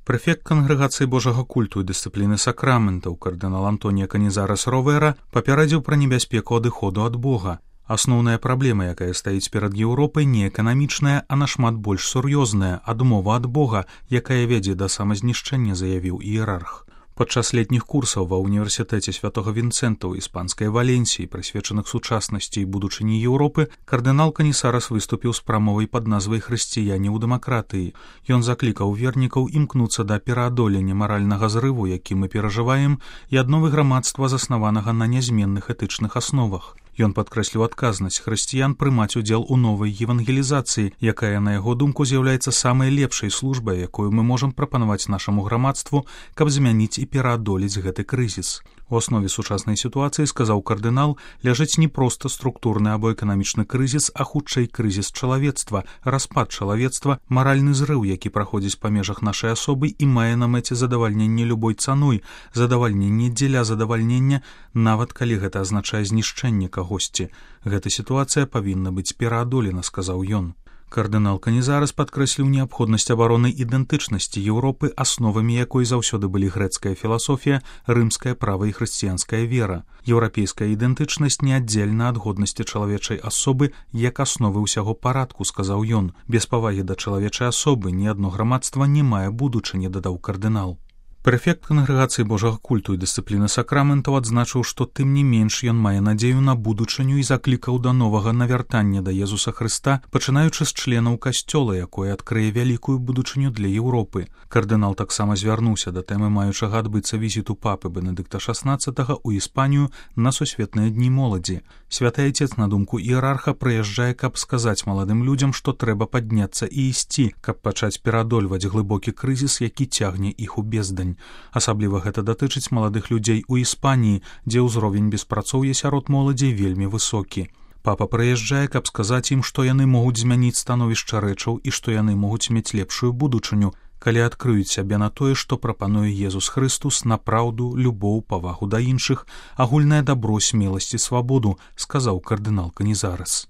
Прэфект Кангрэгацыі Божага культу і дысцыпліны сакраментаў кардынал Антонія Канізарас Ровера папярэдзіў пра небяспеку адыходу ад Бога. Асноўная праблема, якая стаіць перад Еўропай, не эканамічная, а нашмат больш сур'ёзная — адмова ад Бога, якая вядзе да самазнішчэння, заявіў іерарх. Падчас летніх курсаў ва ўніверсітэце святога Вінцэнта ў іспанскай Валенсіі, прысвечаных сучаснасці і будучыні Еўропы, кардынал Канісарас выступіў з прамовай пад назвай «Хрысціяне ў дэмакратыі». Ён заклікаў вернікаў імкнуцца да пераадолення маральнага зрыву, які мы перажываем, і адновы грамадства, заснаванага на нязменных этычных асновах. Ён падкрэсліў адказнасць хрысціян прымаць удзел у новай евангелізацыі, якая, на яго думку, з'яўляецца самай лепшай службай, якую мы можам прапанаваць нашаму грамадству, каб змяніць і пераадолець гэты крызіс. У аснове сучаснай сітуацыі, сказаў кардынал, ляжыць не проста структурны або эканамічны крызіс, а хутчэй крызіс чалавецтва, распад чалавецтва, маральны зрыў, які праходзіць па межах нашай асобы і мае на мэце задавальненне любой цаной, задавальненне дзеля задавальнення, нават калі гэта азначае знішчэнне кагосьці. Гэта сітуацыя павінна быць пераадолена, сказаў ён. Кардынал Канізарас падкрэсліў неабходнасць абароны ідэнтычнасці Еўропы, асновамі якой заўсёды былі грэцкая філасофія, рымскае права і хрысціянская вера. Еўрапейская ідэнтычнасць неаддзельна ад годнасці чалавечай асобы як асновы ўсяго парадку, сказаў ён. Без павагі да чалавечай асобы ні адно грамадства не мае будучыні, дадаў кардынал. Прэфект Кангрэгацыі Божага культу і дысцыпліны сакраментаў адзначыў, што тым не менш ён мае надзею на будучыню і заклікаў да новага навяртання да Езуса Хрыста, пачынаючы з членаў касцёла, якое адкрые вялікую будучыню для Еўропы. Кардынал таксама звярнуўся да тэмы маючага адбыцца візіту папы Бенедыкта XVI ў Іспанію на сусветныя дні моладзі. Святы Айцец, на думку іерарха, прыязджае, каб сказаць маладым людзям, што трэба падняцца і ісці, каб пачаць пераадольваць глыбокі крызіс, які цягне іх у бездань. Асабліва гэта датычыць маладых людзей у Іспаніі, дзе ўзровень беспрацоўя сярод моладзі вельмі высокі. Папа прыязджае, каб сказаць ім, што яны могуць змяніць становішча рэчаў і што яны могуць мець лепшую будучыню, калі адкрыюць сябе на тое, што прапануе Езус Хрыстус, на праўду, любоў, павагу да іншых, агульнае дабро, смеласць і свабоду, сказаў кардынал Канізарас.